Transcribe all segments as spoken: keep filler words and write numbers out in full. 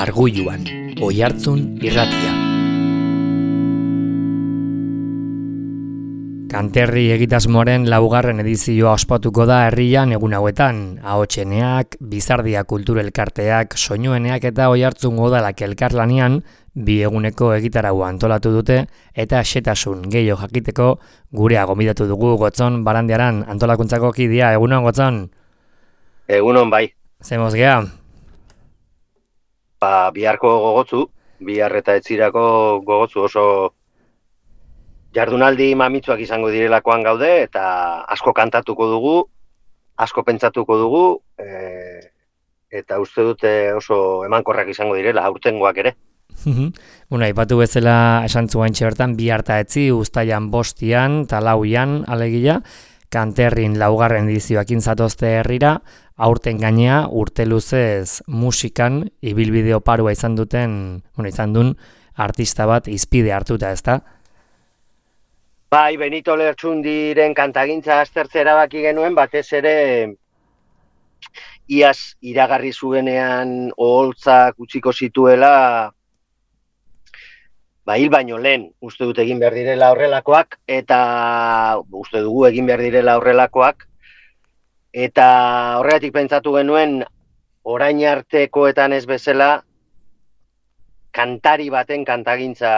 Arguluan, Oihartzun irratia. Kanterri egitasmoaren laugarren edizioa ospatuko da herrian egun hauetan. Ahotseneak, Bizardia kulturelkarteak, soinueneak eta Oihartzun udalak elkarlanean bi eguneko egitaraua antolatu dute eta xetasun gehiago jakiteko gurea gonbidatu dugu Gotzon Barandiaran antolakuntzako kidea. Egunon, Gotzon? Egunon, bai. Zemoz geha? Ba, biharko gogotzu, bihar eta etzirako gogotzu oso jardunaldi mamitsuak izango direlakoan gaude, eta asko kantatuko dugu, asko pentsatuko dugu, e, eta uste dute oso emankorrak izango direla, aurtengoak ere. Bueno, aipatu bezala esan zuen bertan, bihar eta etzi, uztailan bostian, talauian, alegia, Kanterrin laugarren edizioakin zatozte herrira, aurten gainea urte luzez musikan ibilbide oparua izan duten, bueno, izan duen artista bat izpide hartuta, ezta? Bai, Benito Lertxundiren kantagintza aztertzea erabaki genuen, batez ere iaz iragarri zuenean oholtzak utziko zituela, ba, hil baino lehen uste dut egin behar direla horrelakoak, eta uste dugu egin behar direla horrelakoak, eta horregatik pentsatu genuen orain artekoetan ez bezala kantari baten kantagintza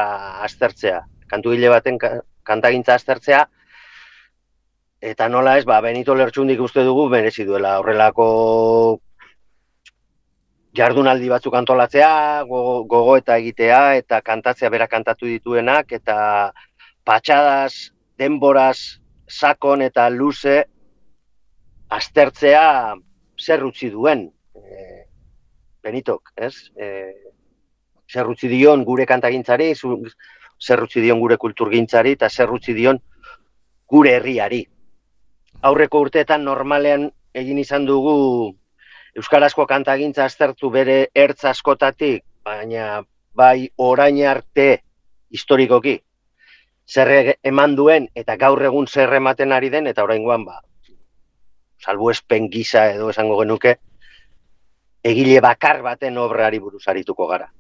aztertzea, kantugile baten kantagintza aztertzea, eta nola ez, ba, Benito Lertxundik uste dugu merezi duela horrelako jardunaldi batzuk antolatzea, gogo, gogo eta egitea, eta kantatzea bera kantatu dituenak, eta patxadaz, denboraz, sakon eta luze aztertzea zer utzi duen, e, Benitok, ez? E, zer utzi dion gure kantagintzari, zer utzi dion gure kulturgintzari, eta zer utzi dion gure herriari. Aurreko urteetan normalean egin izan dugu euskarazko kantagintza aztertu bere ertz askotatik, baina bai orain arte historikoki zer eman duen eta gaur egun zer ematen ari den, eta oraingoan ba, salbuespen gisa edo esango genuke, egile bakar baten obrari buruz arituko gara.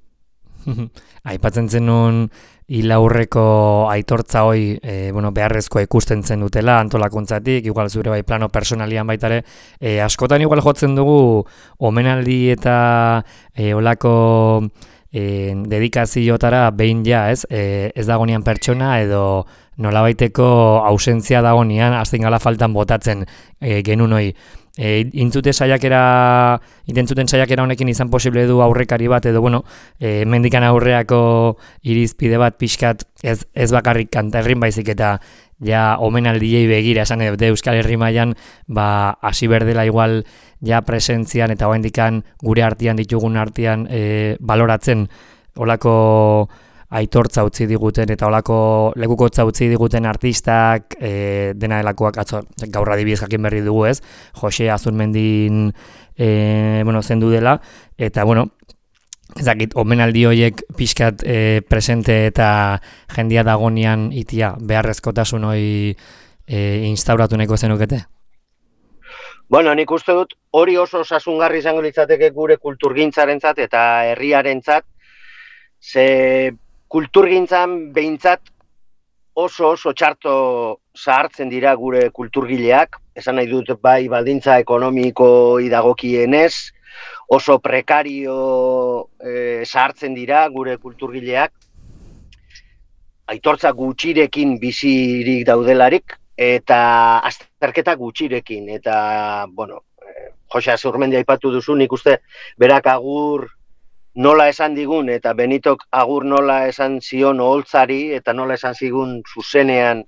Aipatzen zenun hilaurreko aitortza hoi e, bueno, beharrezkoa ikusten zen dutela antolakuntzatik, igual zure bai plano personalian baitare, e, askotan igual jotzen dugu omenaldi eta e, olako e, dedikaziotara behin ja, ez? E, ez dagonean pertsona edo nolabaiteko ausentzia dagonean, azten gala faltan botatzen e, genuen hoi. E, intzute saiakera, intentzuten saiakera honekin izan posible du aurrekari bat edo, bueno, e, mendikan aurreako irizpide bat pixkat ez, ez bakarrik Kanterrin baizik eta ja omenaldiei begira esan edo Euskal Herri mailan ba hasi berdela igual ja presentzian eta oraindikan gure artean ditugun artean e, baloratzen olako aitortza utzi diguten eta olako lekukotza utzi diguten artistak e, dena delakoak atzo gaur adibidez jakin berri dugu, ez? Jose Azurmendin e, bueno, zendu dela eta bueno, ezakit omenaldi horiek pixkat e, presente eta jendia dagonean itia beharrezkotasun hori e, instauratu nahiko zenukete? Bueno, nik uste dut hori oso osasungarri izango litzateke gure kulturgintzarentzat eta herriarentzat, ze kulturgintzan behintzat oso oso txarto zahartzen dira gure kulturgileak, esan nahi dut bai baldintza ekonomiko idagokienez, oso prekario e, zahartzen dira gure kulturgileak, aitortza gutxirekin bizirik daudelarik, eta azterketa gutxirekin, eta, bueno, e, Jose Azurmendi aipatu duzu, nik uste berak agur nola esan digun, eta Benitok agur nola esan zion oholtzari, eta nola esan zigun zuzenean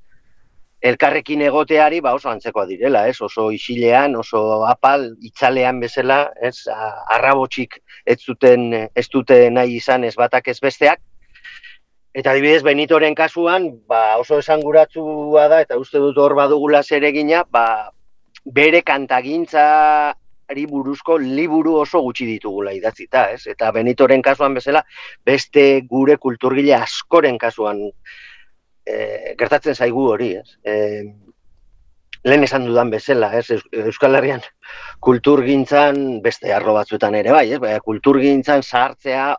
elkarrekin egoteari, ba oso antzekoa direla, ez? Oso isilean, oso apal, itzalean bezala, ez? Arrabotxik ez duten, ez dute nahi izan ez batak ez besteak. Eta adibidez Benitoren kasuan, ba oso esanguratsua da, eta uste dut hor badugula zeregina, ba bere kantagintza buruzko liburu oso gutxi ditugula idatzita, ez? Eta Benitoren kasuan bezala, beste gure kulturgile askoren kasuan e, gertatzen zaigu hori, ez? E, lehen esan dudan bezala, ez? Euskal Herrian kulturgintzan beste arlo batzuetan ere bai, ez? Baina kulturgintzan sartzea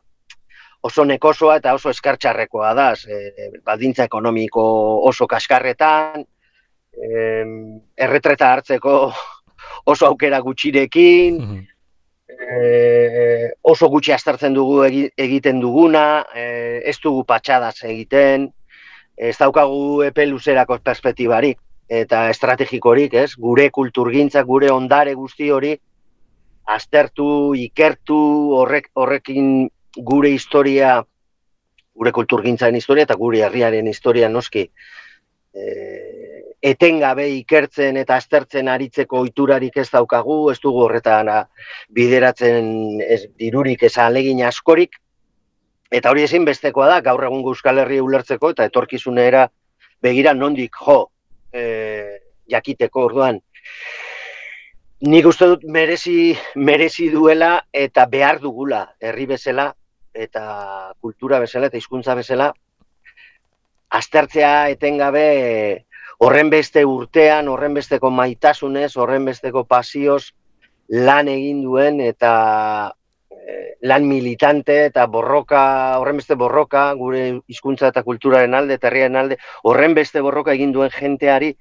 oso nekosoa eta oso eskartxarrekoa da, e, baldintza ekonomiko oso kaskarretan, e, erretreta hartzeko oso aukera gutxirekin, e, oso gutxi aztertzen dugu egiten duguna, e, ez dugu patxadaz egiten, ez daukagu epe luzerako perspektibarik eta estrategikorik, ez? Gure kulturgintza, gure ondare guzti hori aztertu, ikertu, horrek, horrekin gure historia, gure kulturgintzaren historia eta gure herriaren historia noski e, etengabe ikertzen eta aztertzen aritzeko ohiturarik ez daukagu, ez dugu horretan bideratzen ez, dirurik ez ahalegin askorik, eta hori ezinbestekoa da, gaur egungo Euskal Herria ulertzeko eta etorkizunera begira nondik jo e, jakiteko orduan. Nik uste dut merezi, merezi duela eta behar dugula herri bezala eta kultura bezala eta hizkuntza bezala aztertzea etengabe horren beste urtean, horren besteko maitasunez, horren besteko pasioz lan egin duen eta eh, lan militante eta borroka, horren beste borroka, gure hizkuntza eta kulturaren alde, eta herriaren alde, horren beste borroka egin duen jenteari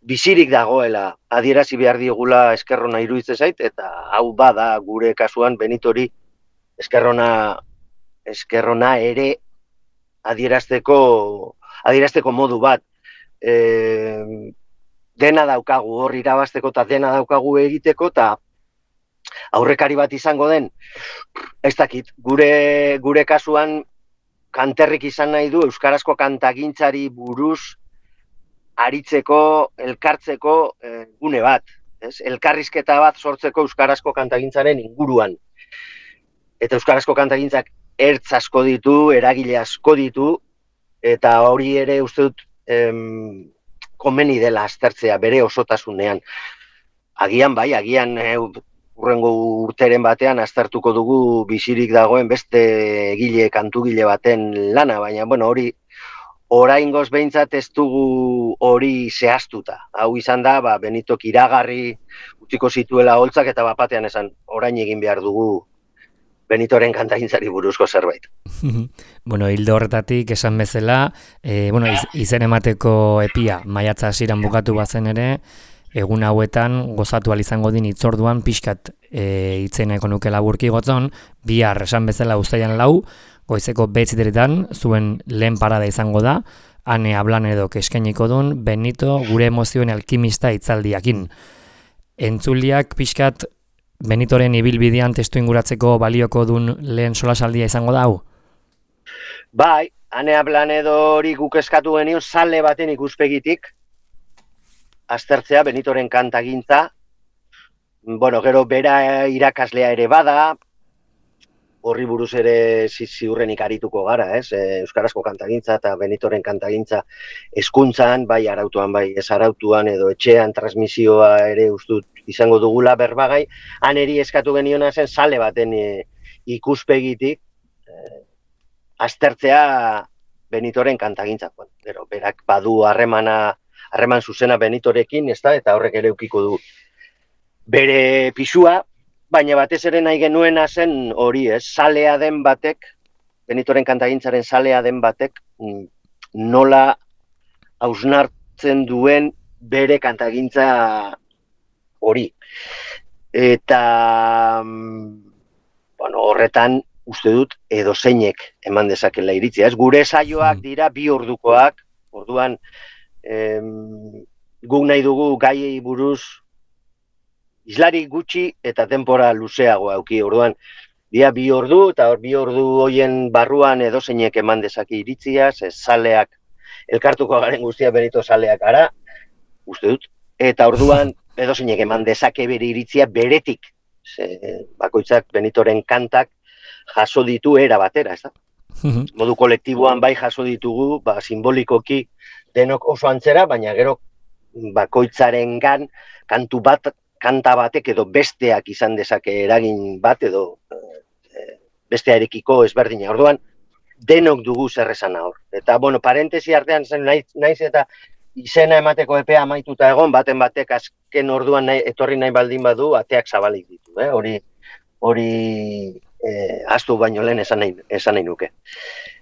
bizirik dagoela adierazi behar diegula eskerrona iruditzen zait, eta hau bada gure kasuan Benitori eskerrona, eskerrona ere adierazteko, adierazteko modu bat. E, dena daukagu hor irabazteko eta dena daukagu egiteko eta aurrekari bat izango den, ez dakit, gure, gure kasuan kanterrik izan nahi du euskarazko kantagintzari buruz aritzeko, elkartzeko eh, gune bat, ez? Elkarrizketa bat sortzeko euskarazko kantagintzaren inguruan. Eta euskarazko kantagintzak ertz asko ditu, eragile asko ditu, eta hori ere uste dut em, komeni dela aztertzea bere osotasunean. Agian bai, agian eh, urrengo urteren batean aztertuko dugu bizirik dagoen beste egile, kantugile baten lana, baina bueno, hori oraingoz behintzat ez dugu hori zehaztuta. Hau izan da, ba, Benitok iragarri utziko zituela holtzak eta bapatean esan orain egin behar dugu Benitoren kantagintzari buruzko zerbait. Bueno, hildo horretatik esan bezala, e, bueno, iz, izen emateko epia maiatza hasieran bukatu bazen ere, egun hauetan gozatu ahal izango din hitzorduan pixkat e, itzeneko nuke laburki gotzon, bihar esan bezala uztailan lau, goizeko betziteretan zuen lehen parada izango da, ane hablan edo eskainiko duen Benito gure emozioen alkimista hitzaldiakin. Entzuliak pixkat Benitoren ibilbidean testu inguratzeko balioko duen lehen solasaldia izango da hau? Bai, ane hablan edo hori guk eskatu genio zale baten ikuspegitik aztertzea Benitoren kantagintza. Bueno, gero bera irakaslea ere bada, horri buruz ere ziurrenik arituko gara, ez? E, euskarazko kantagintza eta Benitoren kantagintza hezkuntzan, bai arautuan, bai ez arautuan, edo etxean transmisioa ere ustut izango dugula berbagai, han eri eskatu geniona zen sale baten e, ikuspegitik e, aztertzea Benitoren kantagintza. Bueno, gero, berak badu harremana, harreman zuzena Benitorekin, ez da, eta horrek ere ukiko du bere pisua, baina batez ere nahi genuena zen hori, ez, salea den batek, Benitoren kantagintzaren salea den batek, nola hausnartzen duen bere kantagintza hori. Eta, bueno, horretan uste dut edozeinek eman dezakela iritzia. Ez, gure saioak dira bi ordukoak, orduan em, guk nahi dugu gaiei buruz islari gutxi eta denbora luzeago auki, orduan dia bi ordu, eta bi ordu hoien barruan edozeinek eman dezake iritzia, ze zaleak, elkartuko garen guztia Benito zaleak ara, uste dut, eta orduan edozeinek eman dezake bere iritzia beretik, ze bakoitzak Benitoren kantak jaso ditu era batera, ez da? Modu kolektiboan bai jaso ditugu, ba, simbolikoki denok oso antzera, baina gero bakoitzarengan kantu bat, kanta batek edo besteak izan dezake eragin bat edo e, bestearekiko ezberdina. Orduan, denok dugu zer esana hor. Eta, bueno, parentesi artean zen naiz, naiz eta izena emateko epea amaituta egon, baten batek azken orduan nahi, etorri nahi baldin badu, ateak zabalik ditu. Eh? Hori, hori e, astu baino lehen esan nahi, esan nahi nuke.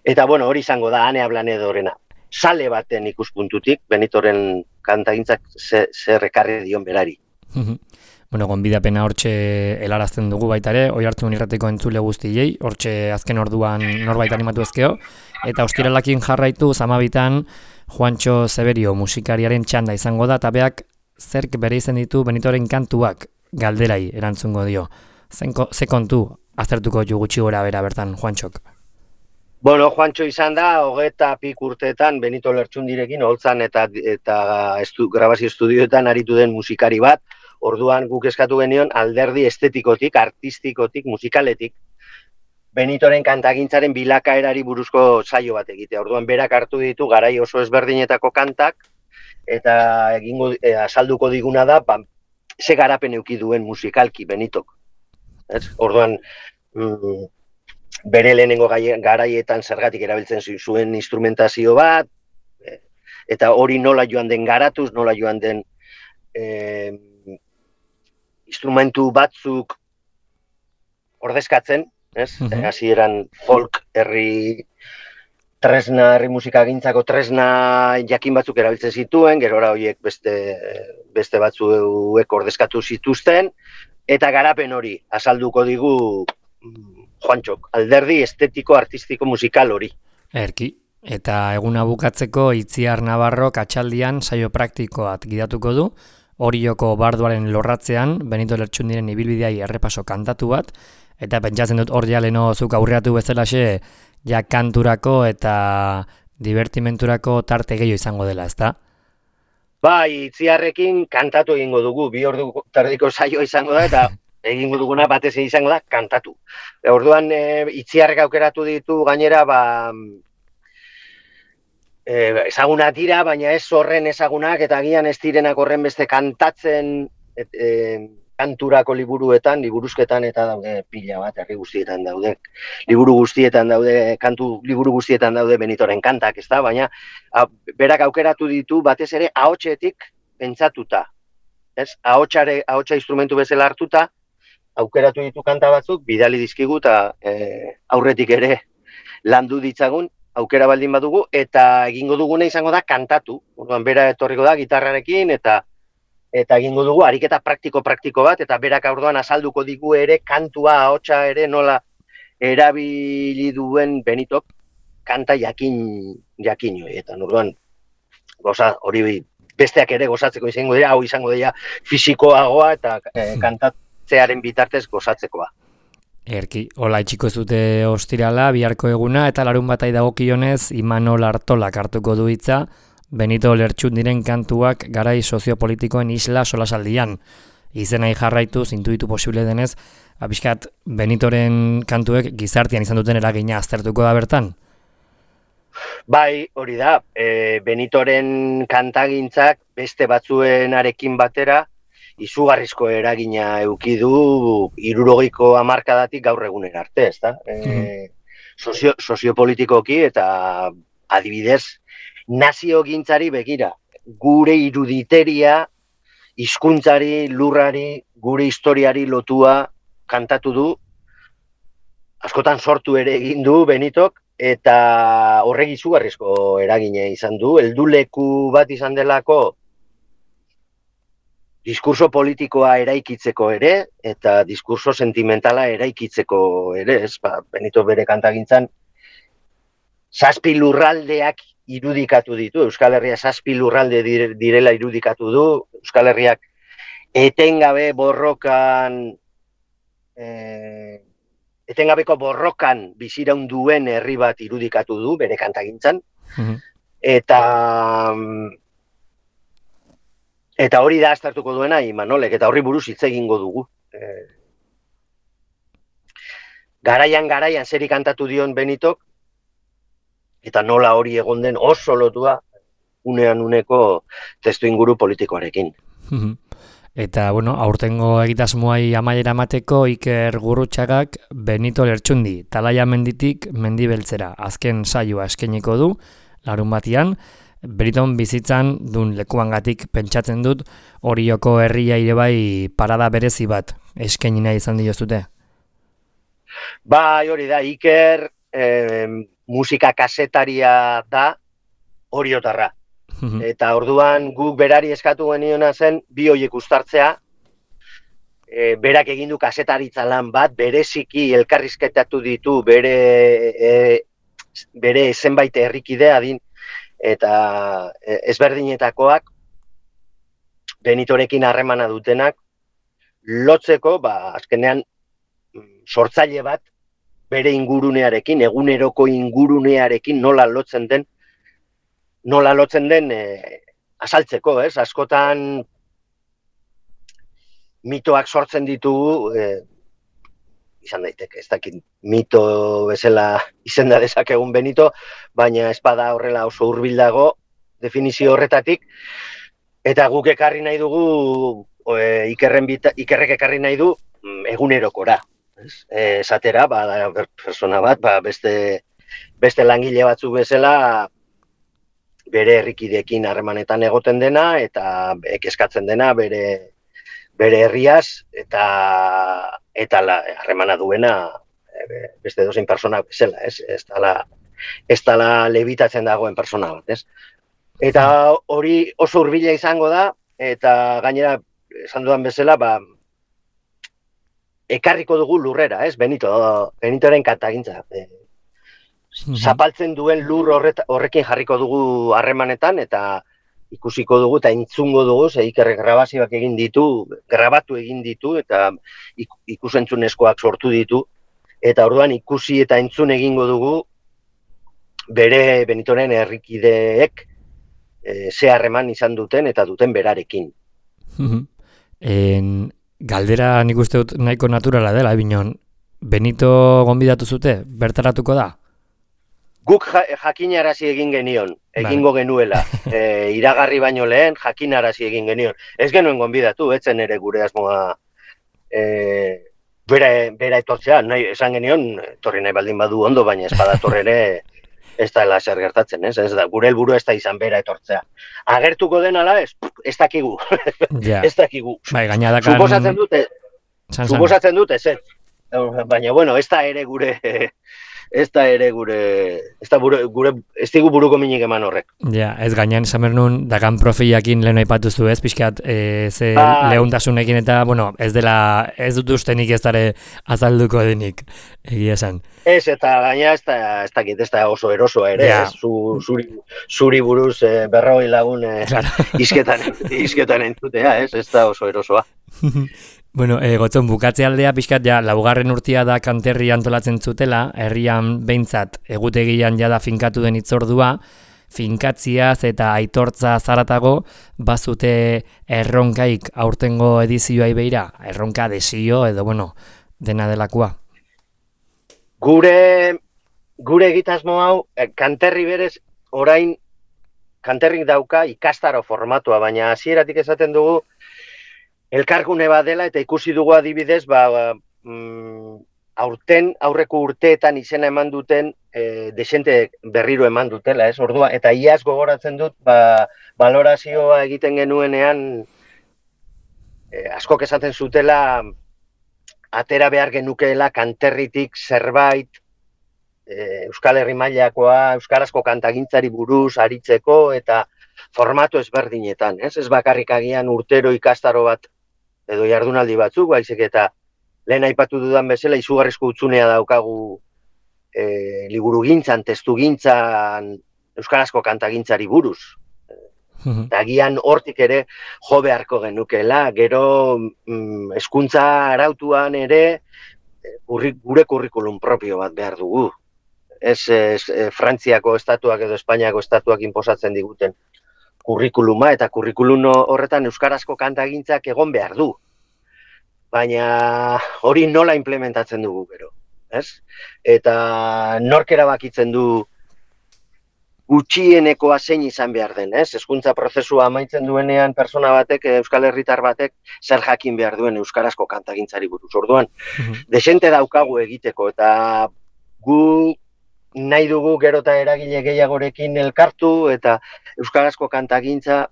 Eta bueno, hori izango da Ane Ablanedorena. Sale baten ikuspuntutik, Benitoren kantagintzak zer ekarri dion berari. Bueno, gonbidapena hortxe helarazten dugu baita ere, Oihartzun irrateko entzule guztiei, hortxe azken orduan norbait animatu ezkeo, eta ostiralakin jarraitu zamabitan Juantxo Zeberio musikariaren txanda izango da, eta beak zerk bere izen ditu Benitoren kantuak galderai erantzungo dio. Zenko, ze kontu aztertuko ju gutxi gora bera bertan Juantxok? Bueno, Juantxo izan da, hogeta pik urteetan Benito Lertxundirekin holtzan eta, eta estu, grabazio estudioetan aritu den musikari bat. Orduan guk eskatu genion alderdi estetikotik, artistikotik, musikaletik, Benitoren kantagintzaren bilakaerari buruzko saio bat egitea. Orduan berak hartu ditu garai oso ezberdinetako kantak, eta egingo e, azalduko diguna da, ba, ze garapen eduki duen musikalki Benitok. Ez? Orduan, mm, bere lehenengo garaietan zergatik erabiltzen zuen instrumentazio bat, eta hori nola joan den garatuz, nola joan den eh, instrumentu batzuk ordezkatzen, ez? Uh-huh. Hasieran folk herri tresna, herri musikagintzako tresna jakin batzuk erabiltzen zituen, gerora horiek beste, beste batzuek ordezkatu zituzten, eta garapen hori azalduko digu Juantxok, alderdi estetiko, artistiko, musikal hori. Erki, eta eguna bukatzeko Itziar Navarrok atxaldian saio praktikoat gidatuko du, Orioko barduaren lorratzean, Benito Lertxundiren ibilbideai errepaso kantatu bat, eta pentsatzen dut hor ja leno zuk aurreatu bezalaxe, ja kanturako eta divertimenturako tarte gehiago izango dela, ezta? Bai, Itziarrekin kantatu egingo dugu, bi ordu tardiko saioa izango da, eta egingo duguna batez izango da kantatu. Orduan e, Itziarrek aukeratu ditu gainera, ba, ezagunak dira, baina ez horren ezagunak, eta agian ez direnak horren beste kantatzen et, e, kanturako liburuetan, liburuzketan eta daude pila bat, herri guztietan daude, liburu guztietan daude, kantu liburu guztietan daude Benitoren kantak, ez da, baina a, berak aukeratu ditu batez ere ahotsetik pentsatuta, ez? Ahotsare, ahotsa instrumentu bezala hartuta, aukeratu ditu kanta batzuk, bidali dizkigu eta e, aurretik ere landu ditzagun, aukera baldin badugu, eta egingo duguna izango da kantatu. Orduan bera etorriko da gitarrarekin, eta eta egingo dugu ariketa praktiko-praktiko bat, eta berak orduan azalduko digu ere kantua, ahotsa ere nola erabili duen Benitok kanta jakin jakin horietan. Orduan goza hori besteak ere gozatzeko izango dira, hau izango dira fisikoagoa eta e, kantatzearen bitartez gozatzekoa. Erki, hola itxiko zute ostirala, biharko eguna, eta larun batai dagokionez Imanol Artolak hartuko du hitza Benito Lertxundiren kantuak garai soziopolitikoen isla solasaldian. Izenai jarraitu, zintuitu posible denez, abiskat Benitoren kantuek gizartean izan duten eragina aztertuko da bertan? Bai, hori da, e, Benitoren kantagintzak beste batzuenarekin batera, izugarrizko eragina eduki du hirurogeiko hamarkadatik gaur egunera arte, ezta? E, sozio, soziopolitikoki eta adibidez naziogintzari begira, gure iruditeria, hizkuntzari, lurrari, gure historiari lotua kantatu du, askotan sortu ere egin du Benitok, eta horrek izugarrizko eragina izan du, helduleku bat izan delako diskurso politikoa eraikitzeko ere, eta diskurso sentimentala eraikitzeko ere, ez, ba, Benito bere kantagintzan, zazpi lurraldeak irudikatu ditu, Euskal Herria zazpi lurralde direla irudikatu du, Euskal Herriak etengabe borrokan, eh, etengabeko borrokan biziraun duen herri bat irudikatu du, bere kantagintzan, mm-hmm. eta... Eta hori da aztertuko duena Imanolek, eta horri buruz hitz egingo dugu. E... Garaian, garaian, zeri kantatu dion Benitok, eta nola hori egon den oso lotua unean uneko testu inguru politikoarekin. Eta, bueno, aurtengo egitasmoai amaiera mateko Iker Gurrutxagak Benito Lertxundi, Talaia menditik mendibeltzera, azken saioa eskainiko du, larun batian, Beniton bizitzan dun lekuangatik pentsatzen dut Orioko herria ere bai parada berezi bat eskaini nahi izan diozute. Bai, hori da, Iker eh, musika kasetaria da oriotarra. Eta orduan guk berari eskatu geniona zen bi horiek uztartzea, e, berak egin du kasetaritza lan bat, bereziki elkarrizketatu ditu bere e, bere zenbait herrikide adin eta e, ezberdinetakoak Benitorekin harremana dutenak lotzeko, ba, azkenean sortzaile bat bere ingurunearekin, eguneroko ingurunearekin nola lotzen den, nola lotzen den e, azaltzeko, ez? Askotan mitoak sortzen ditugu, e, izan daiteke, ez dakit mito bezala izenda dezakegun Benito, baina espada horrela oso hurbil dago definizio horretatik, eta guk ekarri nahi dugu, e, Ikerren bita, Ikerrek ekarri nahi du egunerokora. E, esatera, ba, persona bat, ba, beste, beste langile batzuk bezala bere herrikideekin harremanetan egoten dena eta eskatzen dena bere bere herriaz eta eta harremana duena e, beste edozein persona bezala, ez? Ez dela ez dela lebitatzen dagoen persona bat, ez? Eta hori oso hurbila izango da eta gainera esan dudan bezala, ba ekarriko dugu lurrera, ez? Benito, Benitoren kantagintza. E, zapaltzen duen lur horret, horrekin jarriko dugu harremanetan eta ikusiko dugu eta entzungo dugu, ze Ikerrek grabazioak egin ditu, grabatu egin ditu eta ikusentzunezkoak sortu ditu eta orduan ikusi eta entzun egingo dugu bere Benitoren herrikideek e, ze harreman izan duten eta duten berarekin. en... Galdera nik uste dut nahiko naturala dela, Binon. Benito gonbidatu zute, bertaratuko da? Guk ja, jakinarazi egin genion, egingo vale. Genuela. E, iragarri baino lehen jakinarazi egin genion. Ez genuen gonbidatu, etzen ere gure asmoa e, bera, bera etortzea. Nahi, esan genion, etorri nahi baldin badu ondo, baina ez badator ere ez da zer gertatzen, ez? Ez da, gure helburu ez da izan bera etortzea. Agertuko den ala ez, ez dakigu. Ja. Ez dakigu. Bai, gainadakan... Suposatzen dute, san, suposatzen dute, ez. Baina, bueno, ez da ere gure, ez da ere gure, ez da gure, gure ez digu buruko minik eman horrek. Ja, ez gainean esan behar nun, dakan profiakin lehen aipatu zu ez, pixkat, e, ze ah, lehuntasunekin eta, bueno, ez dela, ez dut ustenik ez dara azalduko denik, egia esan. Ez, eta gaina ez da, ez dakit, ez da oso erosoa ere, ja. Ez, zu, zuri, zuri buruz e, berroi lagun e, claro. izketan, izketan entzutea, ez, ez da oso erosoa. Bueno, e, gotzon, bukatze aldea pixkat, ja, laugarren urtia da kanterri antolatzen zutela, herrian behintzat egutegian jada finkatu den itzordua, finkatziaz eta aitortza zaratago, bazute erronkaik aurtengo edizioai beira, erronka desio edo, bueno, dena delakoa. Gure, gure egitasmo hau, kanterri berez, orain, kanterrik dauka ikastaro formatua, baina hasieratik esaten dugu, elkargune bat dela eta ikusi dugu adibidez, ba, mm, aurten, aurreko urteetan izena eman duten, e, desente berriro eman dutela, ez? Ordua, eta iaz gogoratzen dut, ba, valorazioa egiten genuenean, e, askok esaten zutela, atera behar genukeela kanterritik zerbait, e, Euskal Herri mailakoa, euskarazko kantagintzari buruz aritzeko eta formatu ezberdinetan, ez? Ez bakarrik agian urtero ikastaro bat edo jardunaldi batzuk, baizik eta lehen aipatu dudan bezala izugarrizko utsunea daukagu e, liburugintzan, testugintzan, euskarazko kantagintzari buruz. Eta agian hortik ere jo beharko genukela, gero mm, hezkuntza arautuan ere gure kurrikulum propio bat behar dugu. Ez, ez Frantziako estatuak edo Espainiako estatuak inposatzen diguten kurrikuluma, eta kurrikulum horretan euskarazko kantagintzak egon behar du. Baina hori nola implementatzen dugu gero, ez? Eta nork erabakitzen du gutxienekoa zein izan behar den, ez? Hezkuntza prozesua amaitzen duenean persona batek, Euskal Herritar batek, zer jakin behar duen euskarazko kantagintzari buruz. Orduan, uh-huh. desente daukagu egiteko, eta gu nahi dugu gero eta eragile gehiagorekin elkartu, eta euskarazko kantagintza,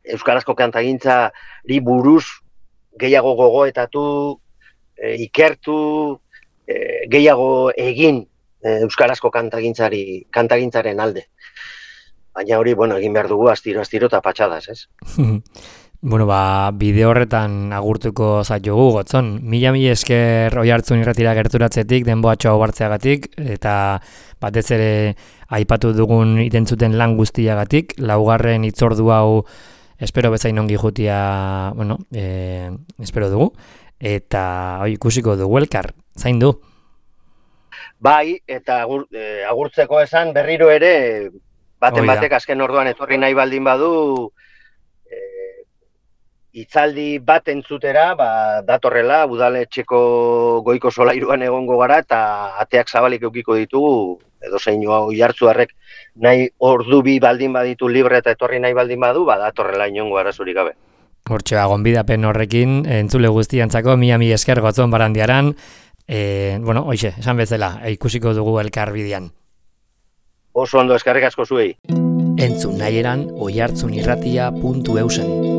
euskarazko kantagintzari buruz gehiago gogoetatu, e, ikertu, e, gehiago egin e, euskarazko kantagintzari, kantagintzaren alde. Baina hori, bueno, egin behar dugu astiro, astiro eta patxadas, ez? Bueno, ba, bideo horretan agurtuko zaitugu, Gotzon. Mila mila esker Oihartzun irratira gerturatzetik, denboatxo hau hartzeagatik, eta batez ere aipatu dugun itentzuten lan guztiagatik, laugarren hitzordu hau espero bezain ongi jutia, bueno, e, espero dugu, eta oi, ikusiko dugu elkar, zain du? Bai, eta agur, e, agurtzeko esan berriro ere, baten batek azken orduan etorri nahi baldin badu, hitzaldi bat entzutera, ba, datorrela, udaletxeko goiko solairuan egongo gara, eta ateak zabalik eukiko ditugu, edo zein Oihartzuarrek nahi ordu bi baldin baditu libre eta etorri nahi baldin badu, ba, datorrela inongo arazorik gabe. Hortxe, gonbidapen horrekin, entzule guztiantzako, mila mila esker Gotzon Barandiaran, e, bueno, hoxe, esan bezala, ikusiko dugu elkar bidean. Oso ondo, eskerrik asko zuei. Entzun nahieran oihartzunirratia puntu eusen.